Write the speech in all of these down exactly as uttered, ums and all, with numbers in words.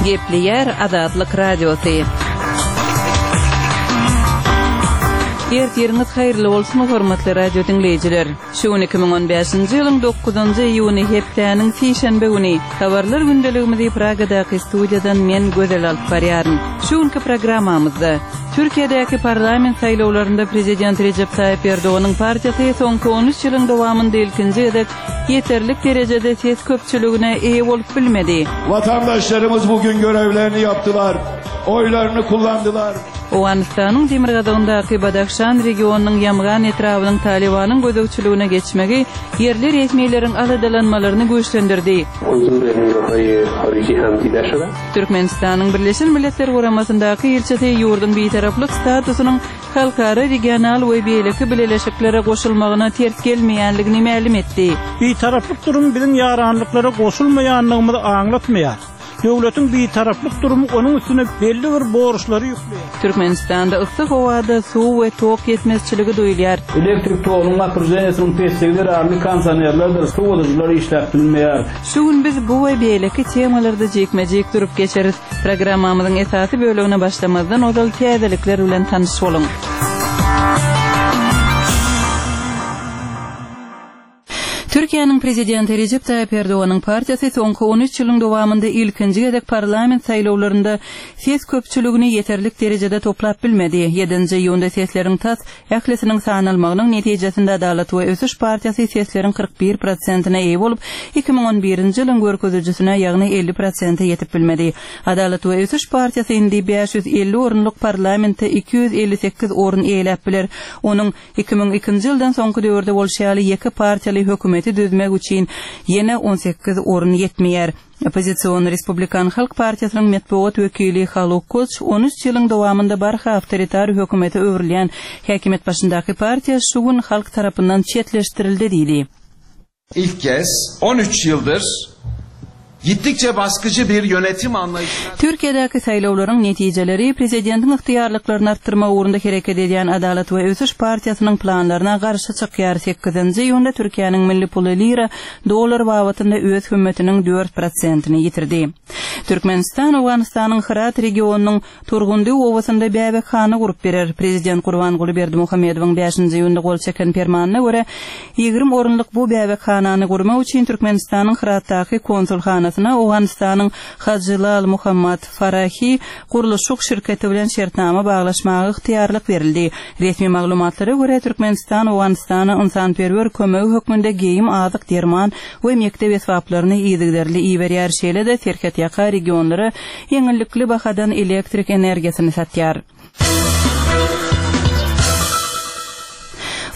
Gepleýär Azatlyk Radiosy. Ertiriňiz haýyrly bolsun, hormatly radio diňleýjiler. Şu gün iki müň on bäşinji ýylyň dokuzynjy iýuny hepdäniň sişenbe güni. Habarlar gündeligimizi Pragadaky studiýadan men Gözel alyp barýaryn. Şu günki programmamyzda Türkiýedäki parlament saýlawlarynda prezident Rejep Taýyp Erdoganyň partiýasy soňky on üç ýylyň dowamynda ilkinji gezek ýeterlik derejede ses köpçüligine eýe bolup bilmedi. Vatandaşlarymyz bugün görevlerini yaptılar, oylarını kullandılar. Owganystanyň demirgazygyndaky Badahşan regionynyň Ýamgan etrabynyň Talybanyň gözegçiligine geçmegi ýerli resmileriň aladalanmalaryny güýçlendirdi. Türkmenistanyň Birleşen Milletler Guramasyndaky ilçisi ýurduň bitaraplyk statusynyň halkara, regional we beýleki bileleşiklere goşulmagyna ters gelmeýänligini mälim etdi. Bitaraplyk durumy biziň ýaranlyklara goşulmaýanlygymyzy aňlatmaýar. Döwletiň bitaraplyk durumy onuň üstüne belli bir borçlary ýükleýär. Türkmenistanda yssy howada suw we tok ýetmezçiligi duýulýar. Elektrik togunyň napruženiyesiniň pesligi zerarly kondisionerlerdir sowadyjylar işläp bilmeýär. Şu gün biz bu we beýleki temalarda jikme-jik durup geçeris. Programmamyzyň esasy bölegine başlamazdan ozal täzelikler bilen tanyş boluň. Türkiýäniň prezidenti Rejep Taýyp Erdoganyň partiýasy soňky on üç ýylyň dowamynda ilkinji gezek parlament saýlawlarynda ses köpçüligini ýeterlik derejede toplap bilmedi. Ýedinji iýunda sesleriň tas ählisiniň sanalmagynyň netijesinde Adalat we Ösüş partiýasy sesleriň kyrk bir prosentine eýe bolup, iki müň on birinji ýylyň görkezijisine, ýagny elli prosente ýetip bilmedi. Adalat we Ösüş partiýasy indi bäş ýüz elli orunlyk parlamentde iki ýüz elli sekiz orun eýeläp biler. Onuň iki müň ikinji ýyldan soňky döwürde bolşy ýaly ýeke partiýaly hökümeti düzmek üçin ýene on sekiz orun ýetmeýär. Oppozision Respublikan Halk Partiýasynyň metbugat wekili Haluk Koç on üç ýylyň dowamynda barha awtoritar hökümete öwrülýän häkimiýet başyndaky partiýa şu gün halk tarapyndan çetleşdirildi diýdi. İlk kez on üç ýyldyr gittikçe baskıcı bir yönetim anlayışına Türkiýedäki saýlawlaryň netijeleri prezidentiň ygtyýarlyklaryny artdyrmak ugrunda hereket edýän Adalat we Ösüş partiýasynyň planlaryna garşy çykýar. Sekizinji iýunda Türkiýäniň milli puly lira dollar babatynda öz hümmetiniň dört prosentini ýitirdi. Türkmenistan Owganystanyň Hyrat regionynyň Turgundy obasynda bäbekhana gurup berer. Prezident Gurbanguly Berdimuhamedowyň bäşinji iýunda gol çeken permanyna görä ýigrimi orunlyk bu bäbekhanany gurmak üçin Türkmenistanyň Hyratdaky konsulhanasyna Owganystanyň Hajylal Muhammad Farahi gurluşyk şirketi bilen şertnama baglaşmaga ygtyýarlyk berildi. Resmi maglumatlara görä Türkmenistan Owganystana ynsanperwer kömegi hökmünde geýim, azyk, derman we mekdep esbaplaryny yzygiderli iberýär. Şeýle-de serhetýaka regionlara ýeňillikli bahadan elektrik energiýasyny satýar.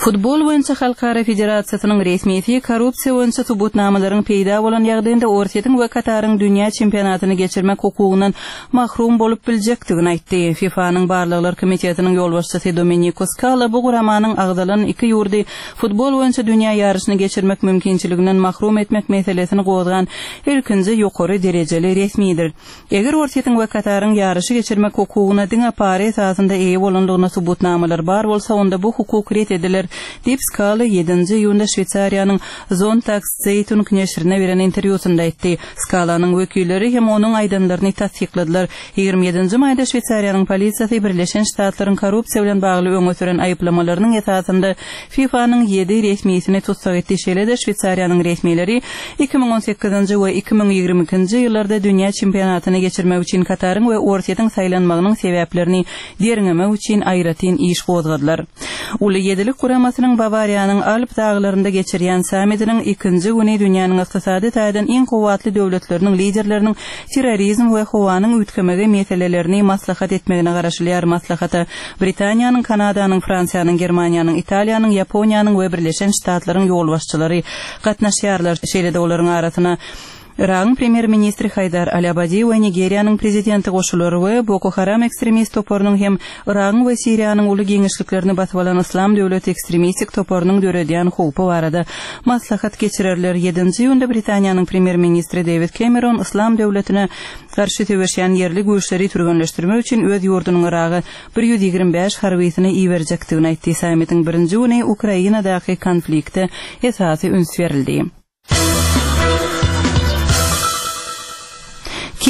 Futbol boýunça Halkara Federasiýasynyň resmisi korrupsiýa boýunça subutnamalaryň peýda bolan ýagdaýynda Orsýetiň we Kataryň dünýä çempionatyny geçirmek hukugyndan mahrum bolup biljekdigini aýtdy. FIFA-nyň barlaglar komitetiniň ýolbaşçysy Domeniko Skala bu guramanyň agzalan iki ýurdy futbol boýunça dünýä ýaryşyny geçirmek mümkinçiliginden mahrum etmek meselesini gozgan ilkinji ýokary derejeli resmidir. Eger Orsýetiň we Kataryň ýaryşy geçirmek hukugyna diňe para esasynda eýe bolanlygyna subutnamalar bar bolsa, onda bu hukuk ret ediler, diýip Skala ýedinji iýunda Şweýsariýanyň Sonntagszeitung neşirine beren interwýusynda aýtdy. Skalanyň wekilleri hem onuň aýdanlaryny tassykladylar. Ýigrimi ýedinji maýda Şweýsariýanyň polisiýasy Birleşen Ştatlaryň korrupsiýa bilen bagly öňe süren aýyplamalarynyň esasynda FIFA-nyň ýedi resmisini tussag etdi. Şeýle-de Şweýsariýanyň resmileri iki müň on sekizinji we iki müň ýigrimi ikinji ýyllarda dünýä çempionatyny geçirmek üçin Kataryň we Orsýetiň saýlanmagynyň sebäplerini derňemek üçin aýratyn iş gozgadylar. Uly ýedilik guramasynyň Bawariýanyň Alp daglarynda geçirýän sammitiniň ikinji güni dünýäniň ykdysady taýdan iň kuwwatly döwletleriniň liderleriniň terrorizm we howanyň üýtgemegi meselelerini maslahat etmegine garaşylýar. Maslahata Britaniýanyň, Kanadanyň, Fransiýanyň, Germaniýanyň, Italiýanyň, Ýaponiýanyň we Birleşen Ştatlaryň ýolbaşçylary gatnaşýarlar. Şeýle-de olaryň arasyna Yragyň premýer-ministri Haýdar Al-Abadi we Nigeriýanyň prezidenti goşular we Boko Haram ekstremist toparynyň hem Yragyň we Siriýanyň uly giňişliklerini basyp alan Yslam döwleti ekstremistik toparynyň döredýän howpy barada maslahat geçirerler. Ýedinji iýunda Britaniýanyň premýer-ministri Dewid Kemeron Yslam döwletine garşy söweşýän ýerli güýçleri türgenleşdirmek üçin öz ýurdunyň Yraga bir ýüz ýigrimi bäş harbysyny iberjekdigini aýtdy. Sammitiň birinji güni Ukrainadaky konflikte esasy üns berildi.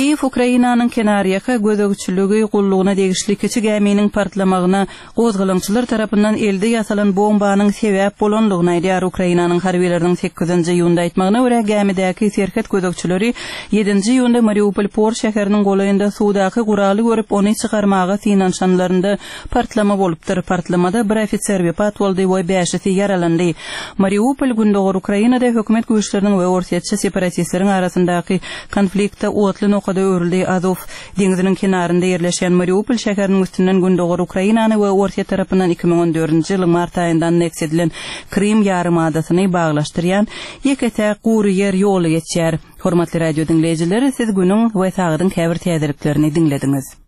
Kiýew Ukrainanyň kenarýaka gözegçiligi gullugyna degişli kiçi gäminiň partlamagyna gozgalaňçylar tarapyndan elde ýasalan bombanyň sebäp bolandygyny aýdýar. Ukrainanyň harbylarynyň sekizinji iýunda aýtmagyna görä, gämidäki serhet gözegçileri ýedinji iýunda Mariupol port şäheriniň golaýynda suwdaky guraly görüp, ony çykarmaga synanyşanlarynda partlama bolupdyr. Partlamada bir ofiser wepat boldy we bäşisi ýaralandy. Mariupol gündogar Ukrainada hökümet güýçleriniň we orsýetçi separatistleriň arasyndaky konfliktde otly nokada öwrüldi. Azow deňziniň kenarynda ýerleşýän Mariupol şäheriniň üstünden gündogar Ukrainany we Orsýet tarapyndan iki müň on dördünji ýylyň mart aýynda anneksiýa edilen Krym ýarymadasyny baglaşdyrýan ýeke-täk gury ýer ýoly geçýär. Hormatly radio diňleýjiler, siz günüň we sagadyň käbir täzeliklerini diňlediňiz.